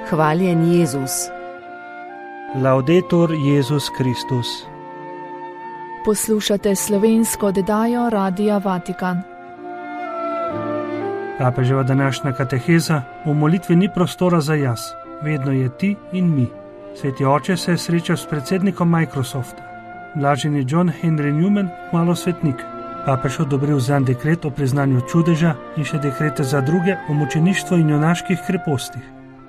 Hvaljen Jezus. Laudetur Jezus Kristus. Poslušate slovensko oddajo Radia Vatikan. Papeževa današnja kateheza: v molitvi ni prostora za jaz, vedno je ti in mi. Sveti oče se je srečal s predsednikom Microsofta. Blaženi John Henry Newman, malo svetnik. Papež odobril zanj dekret o priznanju čudeža in še dekrete za druge o mučeništvu in junaških krepostih.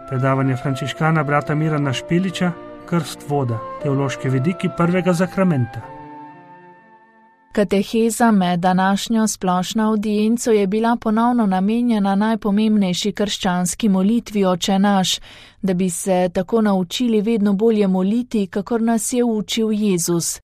Predavanje frančiškana brata Mirana Špeliča, Krst voda, teološki vidiki prvega zakramenta. Kateheza med današnjo splošno audienco je bila ponovno namenjena najpomembnejši krščanski molitvi Oče naš, da bi se tako naučili vedno bolje moliti, kakor nas je učil Jezus.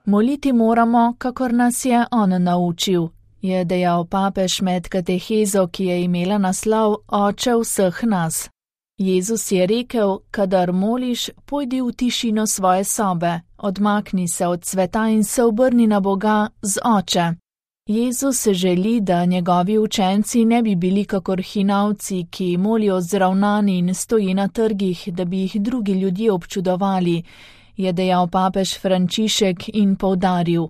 Moliti moramo, kakor nas je On naučil, je dejal papež med katehezo, ki je imela naslov Oče vseh nas. Jezus je rekel: kadar moliš, pojdi v tišino svoje sobe, odmakni se od sveta in se obrni na Boga z Oče. Jezus želi, da njegovi učenci ne bi bili kakor hinavci, ki molijo zravnani in stoji na trgih, da bi jih drugi ljudje občudovali, je dejal papež Frančišek in poudaril: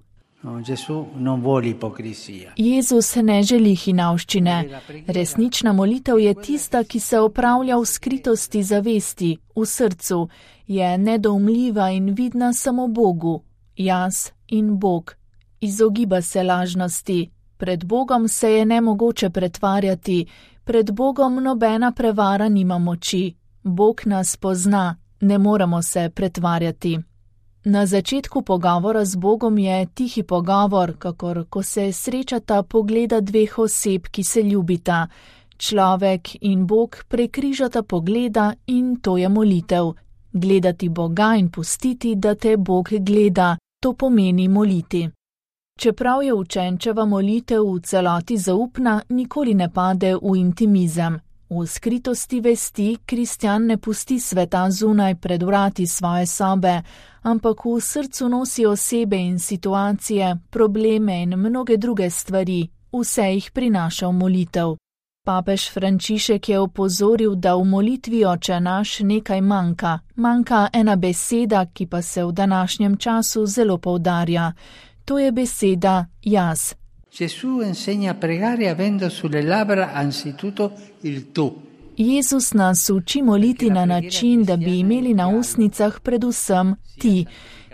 Jezus ne želi hinavščine. Resnična molitev je tista, ki se opravlja v skritosti zavesti, v srcu, je nedoumljiva in vidna samo Bogu, jaz in Bog. Izogiba se lažnosti. Pred Bogom se je nemogoče pretvarjati, pred Bogom nobena prevara nima moči. Bog nas pozna, ne moremo se pretvarjati. Na začetku pogovora z Bogom je tihi pogovor, kakor ko se srečata pogleda dveh oseb, ki se ljubita. Človek in Bog prekrižata pogleda in to je molitev. Gledati Boga in pustiti, da te Bog gleda, to pomeni moliti. Čeprav je učenčeva molitev v celoti zaupna, nikoli ne pade v intimizem. V skritosti vesti kristjan ne pusti sveta zunaj pred vrati svoje sobe, ampak v srcu nosi osebe in situacije, probleme in mnoge druge stvari, vse jih prinaša v molitev. Papež Frančišek je opozoril, da v molitvi Oče naš nekaj manjka ena beseda, ki pa se v današnjem času zelo poudarja. To je beseda jaz. Jezus nas uči moliti na način, da bi imeli na ustnicah predvsem ti,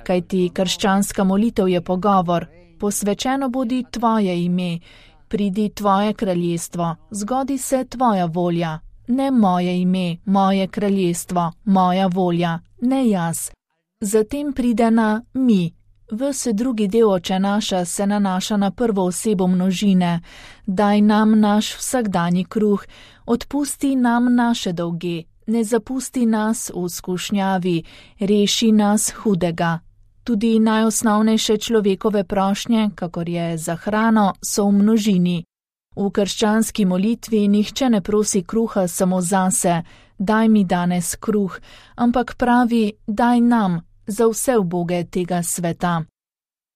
kajti krščanska molitev je pogovor. Posvečeno bodi tvoje ime, pridi tvoje kraljestvo, zgodi se tvoja volja. Ne moje ime, moje kraljestvo, moja volja, ne jaz. Zatem pride na mi. Ves drugi del Oče naša se nanaša na prvo osebo množine. Daj nam naš vsakdanji kruh, odpusti nam naše dolge, ne zapusti nas v skušnjavi, reši nas hudega. Tudi najosnovnejše človekove prošnje, kakor je za hrano, so v množini. V krščanski molitvi nihče ne prosi kruha samo zase, daj mi danes kruh, ampak pravi, daj nam, za vse uboge tega sveta.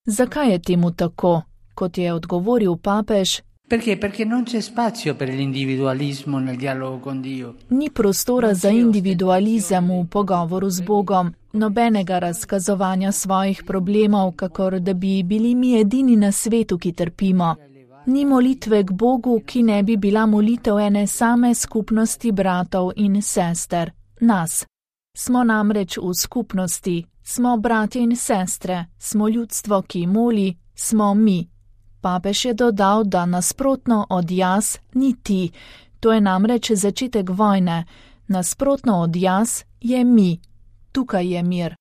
Zakaj je temu tako? Kot je odgovoril papež, ni prostora za individualizem v pogovoru z Bogom, nobenega razkazovanja svojih problemov, kakor da bi bili mi edini na svetu, ki trpimo. Ni molitve k Bogu, ki ne bi bila molitev ene same skupnosti bratov in sester, nas. Smo namreč v skupnosti, smo bratje in sestre, smo ljudstvo, ki moli, smo mi. Papež je dodal, da nasprotno od jaz ni ti, to je namreč začetek vojne, nasprotno od jaz je mi, tukaj je mir.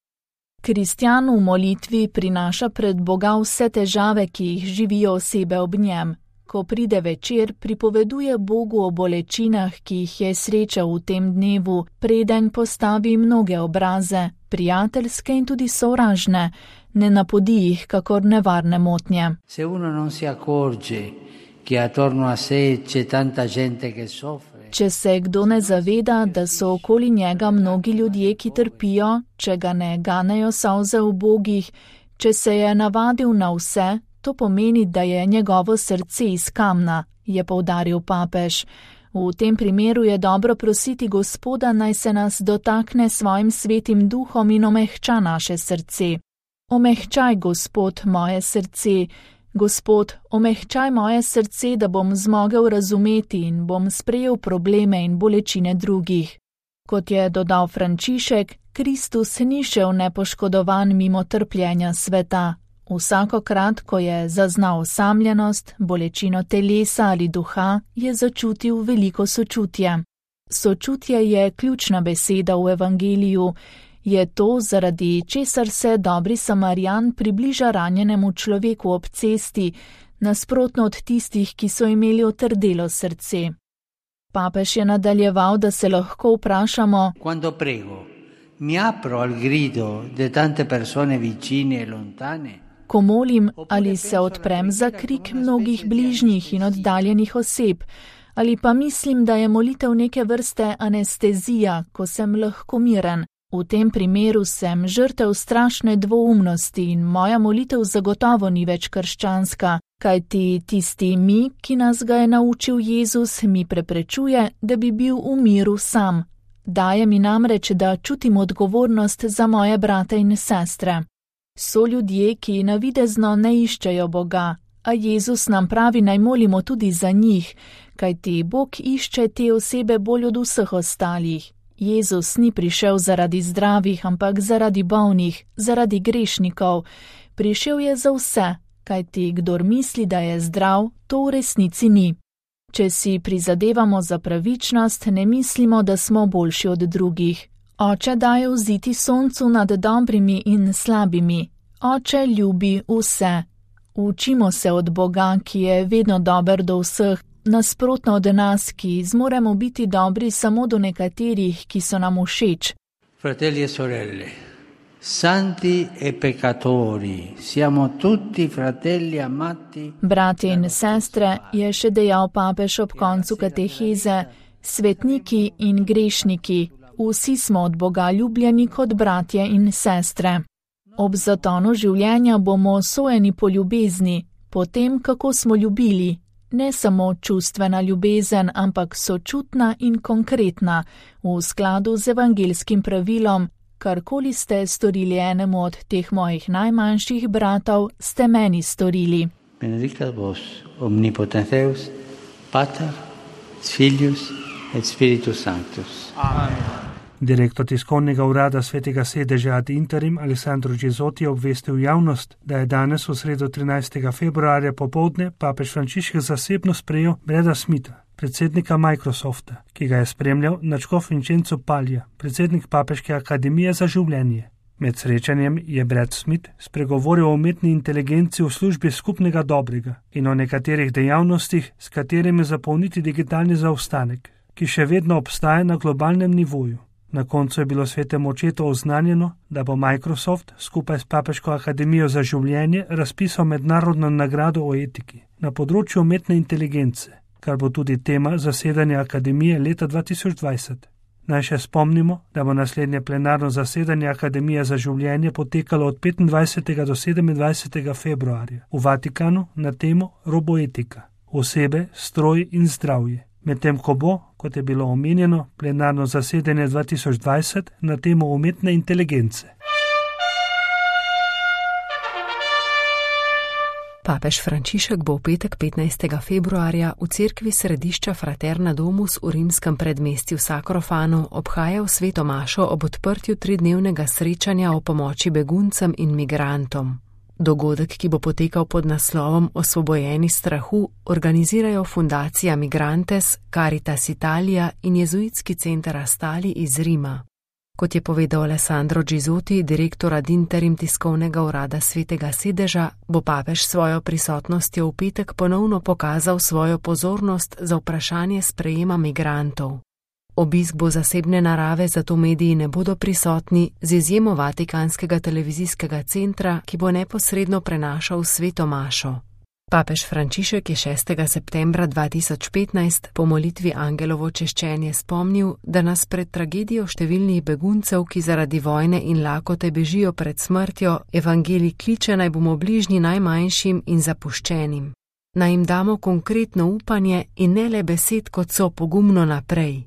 Kristjan v molitvi prinaša pred Boga vse težave, ki jih živijo osebe ob njem. Ko pride večer, pripoveduje Bogu o bolečinah, ki jih je srečal v tem dnevu, preden postavi mnoge obraze, prijateljske in tudi sovražne, ne napodi jih kakor nevarne motnje. Če se kdo ne zaveda, da so okoli njega mnogi ljudje, ki trpijo, če ga ne ganejo solze v bogih, če se je navadil na vse, to pomeni, da je njegovo srce iz kamna, je poudaril papež. V tem primeru je dobro prositi Gospoda, naj se nas dotakne svojim svetim duhom in omehča naše srce. Omehčaj, Gospod, moje srce. Gospod, omehčaj moje srce, da bom zmogel razumeti in bom sprejel probleme in bolečine drugih. Kot je dodal Frančišek, Kristus ni šel nepoškodovan mimo trpljenja sveta. Vsakokrat, ko je zaznal osamljenost, bolečino telesa ali duha, je začutil veliko sočutje. Sočutje je ključna beseda v evangeliju. Je to, zaradi česar se dobri Samarijan približa ranjenemu človeku ob cesti, nasprotno od tistih, ki so imeli otrdelo srce. Papež je nadaljeval, da se lahko vprašamo: Quando prego, mi apro al grido de tante persone vicine e lontane? Ko molim, ali se odprem za krik mnogih bližnjih in oddaljenih oseb, ali pa mislim, da je molitev neke vrste anestezija, ko sem lahko miren. V tem primeru sem žrtev strašne dvoumnosti in moja molitev zagotovo ni več krščanska, kajti tisti mi, ki nas ga je naučil Jezus, mi preprečuje, da bi bil v miru sam. Daje mi namreč, da čutim odgovornost za moje brate in sestre. So ljudje, ki navidezno ne iščejo Boga, a Jezus nam pravi, naj molimo tudi za njih, kajti Bog išče te osebe bolj od vseh ostalih. Jezus ni prišel zaradi zdravih, ampak zaradi bolnih, zaradi grešnikov. Prišel je za vse, kajti kdor misli, da je zdrav, to v resnici ni. Če si prizadevamo za pravičnost, ne mislimo, da smo boljši od drugih. Oče daje vziti soncu nad dobrimi in slabimi. Oče ljubi vse. Učimo se od Boga, ki je vedno dober do vseh, nasprotno od nas, ki zmoremo biti dobri samo do nekaterih, ki so nam všeč. Fratelli e sorelle, santi e peccatori, siamo tutti fratelli amati. Bratje in sestre, je še dejal papež ob koncu kateheze, svetniki in grešniki, vsi smo od Boga ljubljeni kot bratje in sestre. Ob zatonu življenja bomo sojeni po ljubezni, po tem, kako smo ljubili. Ne samo čustvena ljubezen, ampak sočutna in konkretna, v skladu z evangeljskim pravilom: karkoli ste storili enemu od teh mojih najmanjših bratov, ste meni storili. Benedicat vos omnipotens Deus, Pater, Filius et Spiritus Sanctus. Amen. Direktor tiskovnega urada Svetega sedeža ad interim Alessandro Gisotti je obvestil javnost, da je danes v sredo 13. februarja popoldne papež Frančišek zasebno sprejel Brada Smitha, predsednika Microsofta, ki ga je spremljal nadškof Vincenzo Paglia, predsednik Papeške akademije za življenje. Med srečanjem je Brad Smith spregovoril o umetni inteligenci v službi skupnega dobrega in o nekaterih dejavnostih, s katerimi zapolniti digitalni zaostanek, ki še vedno obstaja na globalnem nivoju. Na koncu je bilo svetemu očetu oznanjeno, da bo Microsoft skupaj s Papeško akademijo za življenje razpisal mednarodno nagrado o etiki na področju umetne inteligence, kar bo tudi tema zasedanja akademije leta 2020. Naj še spomnimo, da bo naslednje plenarno zasedanje Akademije za življenje potekalo od 25. do 27. februarja v Vatikanu na temo roboetika, osebe, stroj in zdravje. Medtem ko bo, kot je bilo omenjeno, plenarno zasedanje 2020 na temo umetne inteligence. Papež Frančišek bo v petek 15. februarja v cerkvi središča Fraterna Domus v rimskem predmestju Sacrofanu obhajal sveto mašo ob odprtju 3-dnevnega srečanja o pomoči beguncem in migrantom. Dogodek, ki bo potekal pod naslovom Osvobojeni strahu, organizirajo Fundacija Migrantes, Caritas Italia in jezuitski center Astali iz Rima. Kot je povedal Alessandro Gisotti, direktor ad interim tiskovnega urada Svetega sedeža, bo papež svojo prisotnostjo v petek ponovno pokazal svojo pozornost za vprašanje sprejema migrantov. Obisk bo zasebne narave, zato mediji ne bodo prisotni, z izjemo Vatikanskega televizijskega centra, ki bo neposredno prenašal sveto mašo. Papež Frančišek je 6. septembra 2015 po molitvi Angelovo češčenje spomnil, da nas pred tragedijo številnih beguncev, ki zaradi vojne in lakote bežijo pred smrtjo, evangelij kliče, naj bomo bližnji najmanjšim in zapuščenim. naj jim damo konkretno upanje in ne le besed, kot so pogumno naprej.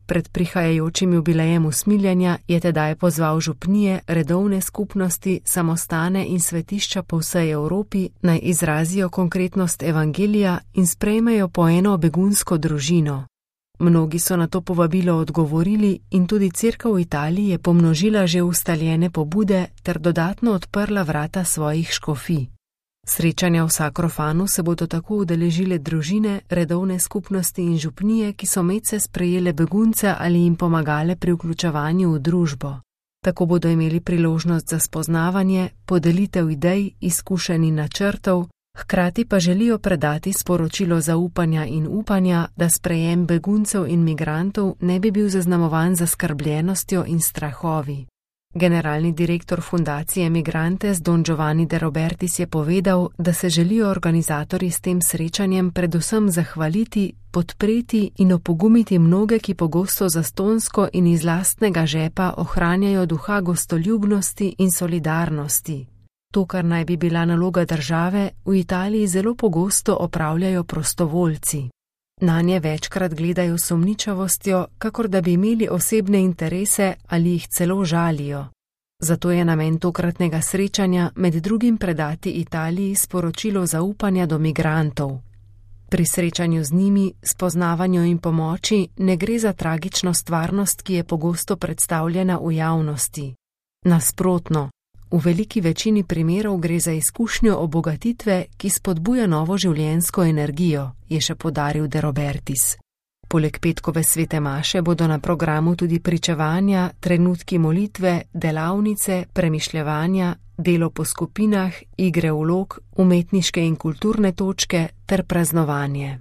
Pred prihajajočim jubilejem usmiljenja je tedaj pozval župnije, redovne skupnosti, samostane in svetišča po vsej Evropi, naj izrazijo konkretnost evangelija in sprejmejo po eno begunsko družino. Mnogi so na to povabilo odgovorili in tudi cerkev v Italiji je pomnožila že ustaljene pobude ter dodatno odprla vrata svojih škofij. Srečanja v Sakrofanu se bodo tako udeležile družine, redovne skupnosti in župnije, ki so medse sprejele begunce ali jim pomagale pri vključevanju v družbo. Tako bodo imeli priložnost za spoznavanje, podelitev idej, izkušenj in načrtov, hkrati pa želijo predati sporočilo zaupanja in upanja, da sprejem beguncev in migrantov ne bi bil zaznamovan zaskrbljenostjo in strahovi. Generalni direktor fundacije Migrantes Don Giovanni De Robertis je povedal, da se želijo organizatorji s tem srečanjem predvsem zahvaliti, podpreti in opogumiti mnoge, ki pogosto zastonjsko in iz lastnega žepa ohranjajo duha gostoljubnosti in solidarnosti. To, kar naj bi bila naloga države, v Italiji zelo pogosto opravljajo prostovoljci. Nanje večkrat gledajo s sumničavostjo, kakor da bi imeli osebne interese ali jih celo žalijo. Zato je namen tokratnega srečanja med drugim predati Italiji sporočilo zaupanja do migrantov. Pri srečanju z njimi, spoznavanju in pomoči ne gre za tragično stvarnost, ki je pogosto predstavljena v javnosti. Nasprotno, v veliki večini primerov gre za izkušnjo obogatitve, ki spodbuja novo življenjsko energijo, je še poudaril De Robertis. Poleg petkove svete maše bodo na programu tudi pričevanja, trenutki molitve, delavnice, premišljevanja, delo po skupinah, igre vlog, umetniške in kulturne točke ter praznovanje.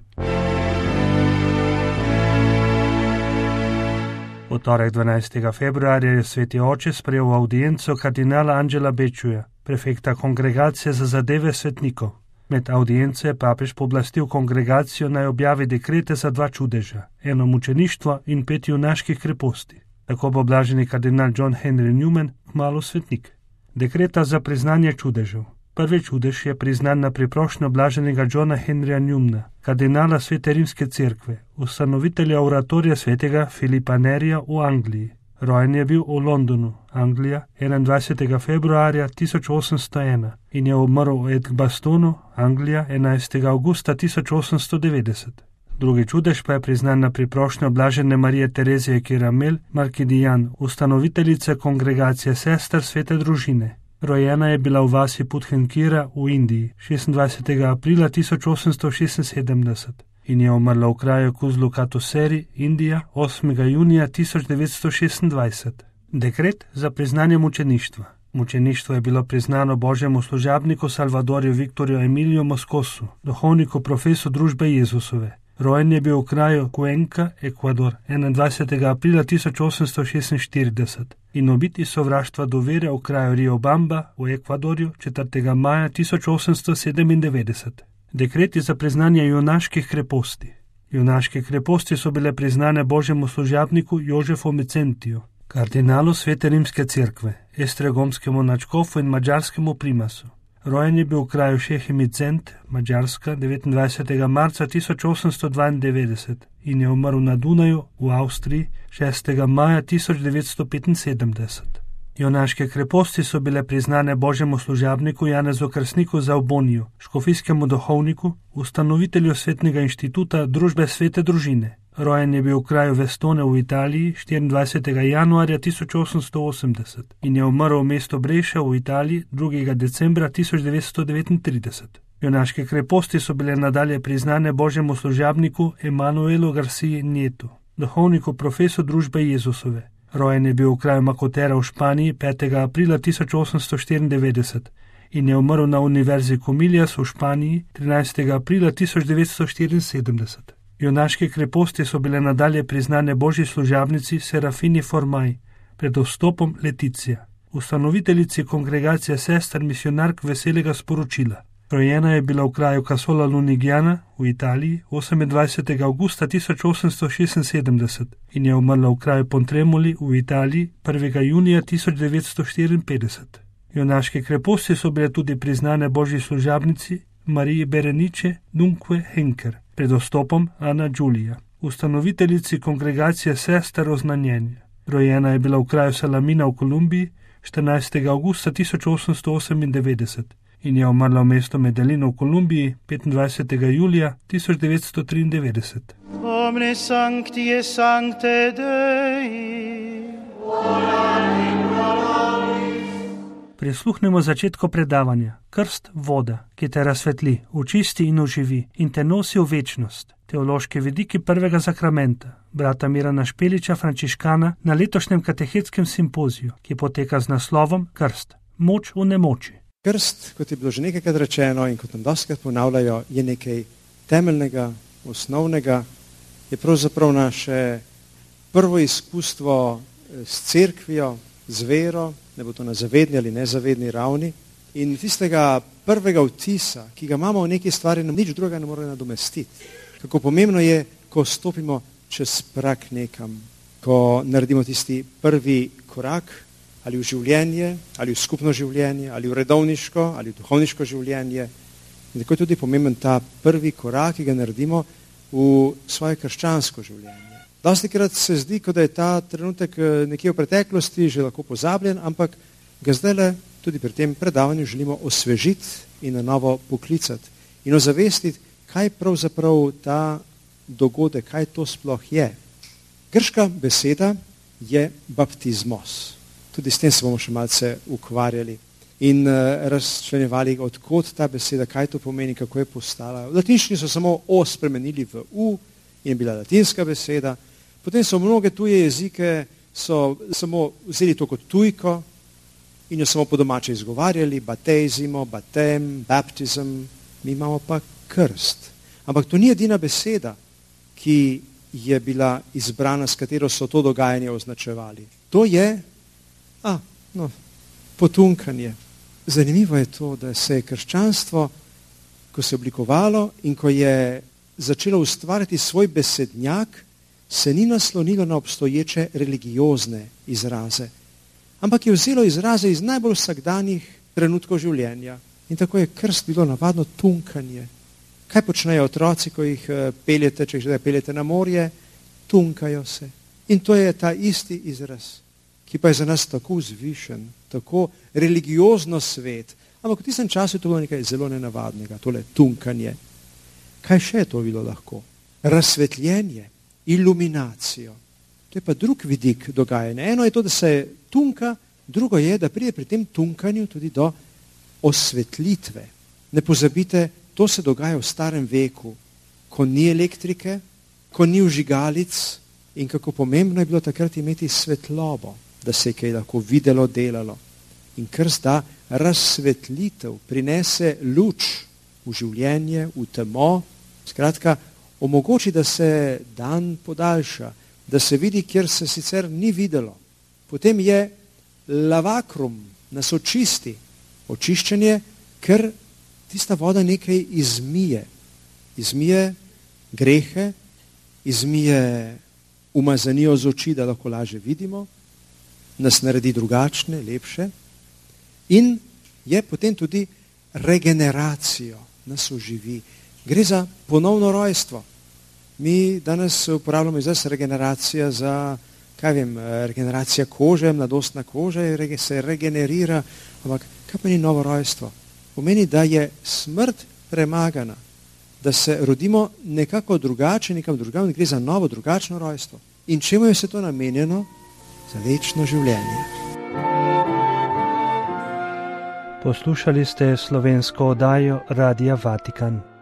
V torek 12. februarja je sveti oče sprejel audienco kardinala Angela Becciuja, prefekta kongregacije za zadeve svetnikov. Med audienco je papež pooblastil kongregacijo naj objavi dekrete za 2 čudeža, eno mučeništvo in 5 junaških kreposti. Tako bo blaženi kardinal John Henry Newman kmalu svetnik. Dekreta za priznanje čudežev. Prvi čudež je priznan na priprošnjo blaženega Johna Henryja Newmana, kardinala Svete rimske cerkve, ustanovitelja oratorija svetega Filipa Nerija v Angliji. Rojen je bil v Londonu, Anglija, 21. februarja 1801 in je umrl v Edgbastonu, Anglija, 11. augusta 1890. Drugi čudež pa je priznan na priprošnjo blažene Marije Terezije Kiramel Markidijan, ustanoviteljice kongregacije sester Svete družine. Rojena je bila v vasi Puthenkira v Indiji 26. aprila 1876 in je umrla v kraju Kuzlu Katuseri, Indija, 8. junija 1926. Dekret za priznanje mučeništva. Mučeništvo je bilo priznano božjemu služabniku Salvadorju Viktorju Emiliju Moscosu, duhovniku profesu družbe Jezusove. Rojen je bil v kraju Cuenca, Ekvador, 21. aprila 1846 in ubit iz sovraštva do vere v kraju Riobamba v Ekvadorju 4. maja 1897. Dekreti za priznanje junaških kreposti. Junaške kreposti so bile priznane božjemu služabniku Jožefu Mecentiju, kardinalu Svete rimske cerkve, estregomskemu nadškofu in madžarskemu primasu. Rojen je bil v kraju Šehimicent, Madžarska, 29. marca 1892 in je umrl na Dunaju v Avstriji 6. maja 1975. Junaške kreposti so bile priznane božjemu služabniku Janezu Krstniku za Oboniju, škofijskemu duhovniku, ustanovitelju Svetnega inštituta Družbe Svete družine. Rojen je bil v kraju Vestone v Italiji 24. januarja 1880 in je umrl v mestu Breša v Italiji 2. decembra 1939. Junaške kreposti so bile nadalje priznane božjemu služabniku Emanuelu Garciji Nietu, duhovniku profesu družbe Jezusove. Rojen je bil v kraju Makotera v Španiji 5. aprila 1894 in je umrl na univerzi Comillas v Španiji 13. aprila 1974. Junaške kreposti so bile nadalje priznane božji služabnici Serafini Formaj, pred vstopom Leticija, ustanoviteljici kongregacije sester misionark veselega sporočila. Rojena je bila v kraju Casola Lunigiana v Italiji 28. augusta 1876 in je umrla v kraju Pontremoli v Italiji 1. junija 1954. Junaške kreposti so bile tudi priznane božji služabnici Mariji Berenice Dunque Henker, pred vstopom Ana Giulia, ustanoviteljici kongregacije sester Oznanjenja. Rojena je bila v kraju Salamina v Kolumbiji 14. augusta 1898 in je umrla v mestu Medellino v Kolumbiji 25. julija 1993. Omne sancti et sancte Dei. Prisluhnemo začetku predavanja. Krst voda, ki te razsvetli, očisti in oživi in te nosi v večnost. Teološki vidiki prvega zakramenta, brata Mirana Špeliča, frančiškana, na letošnjem katehetskem simpoziju, ki poteka z naslovom Krst, moč v nemoči. Krst, kot je bilo že nekajkrat rečeno in kot nam dostikrat ponavljajo, je nekaj temeljnega, osnovnega, je pravzaprav naše prvo izkustvo s cerkvijo, z vero, ne bo to na zavedni ali nezavedni ravni, in tistega prvega vtisa, ki ga imamo v neki stvari, nam nič drugega ne more nadomestiti. Kako pomembno je, ko stopimo čez prak nekam, ko naredimo tisti prvi korak, ali v življenje, ali v skupno življenje, ali v redovniško, ali v duhovniško življenje. In tako je tudi pomemben ta prvi korak, ki ga naredimo v svoje krščansko življenje. Dostikrat se zdi, kot da je ta trenutek nekje v preteklosti že lahko pozabljen, ampak ga zdajle tudi pri tem predavanju želimo osvežiti in na novo poklicati in ozavestiti, kaj pravzaprav ta dogodek, kaj to sploh je. Grška beseda je baptizmos. Tudi s tem se bomo še malce ukvarjali in razčlenjevali, odkot ta beseda, kaj to pomeni, kako je postala. V latinščini so samo o spremenili v u in je bila latinska beseda. Potem so mnoge tuje jezike so samo vzeli to kot tujko in jo samo po domače izgovarjali, batezimo, batem, baptism, mi imamo pa krst. Ampak to ni edina beseda, ki je bila izbrana, s katero so to dogajanje označevali. To je potunkanje. Zanimivo je to, da se je krščanstvo, ko se je oblikovalo in ko je začelo ustvarjati svoj besednjak, se ni naslonilo na obstoječe religiozne izraze, ampak je vzelo izraze iz najbolj vsakdanjih trenutkov življenja. In tako je krst bilo navadno tunkanje. Kaj počnejo otroci, ko jih peljete, če jih peljete na morje? Tunkajo se. In to je ta isti izraz, ki pa je za nas tako vzvišen, tako religiozno svet. Ampak v tistem času je to bilo nekaj zelo nenavadnega, tole tunkanje. Kaj še je to bilo lahko? Razsvetljenje, iluminacijo. To je pa drug vidik dogajanja. Eno je to, da se tunka, drugo je, da pride pri tem tunkanju tudi do osvetlitve. Ne pozabite, to se dogaja v starem veku, ko ni elektrike, ko ni vžigalic in kako pomembno je bilo takrat imeti svetlobo, da se je kaj lahko videlo, delalo. In krst da razsvetlitev, prinese luč v življenje, v temo, skratka, omogoči, da se dan podaljša, da se vidi, kjer se sicer ni videlo. Potem je lavakrum, nas očisti, očiščenje, ker tista voda nekaj izmije. Izmije grehe, izmije umazanijo z oči, da lahko lažje vidimo, nas naredi drugačne, lepše in je potem tudi regeneracijo, nas oživi. Gre za ponovno rojstvo. Mi danes uporabljamo izraz regeneracija za, regeneracija kože, mladostna koža se regenerira, ampak kaj pa ni novo rojstvo? Pomeni, da je smrt premagana, da se rodimo nekako drugače, nekam drugam, gre za novo, drugačno rojstvo. In čemu je se to namenjeno? Za večno življenje. Poslušali ste slovensko oddajo Radia Vatikan.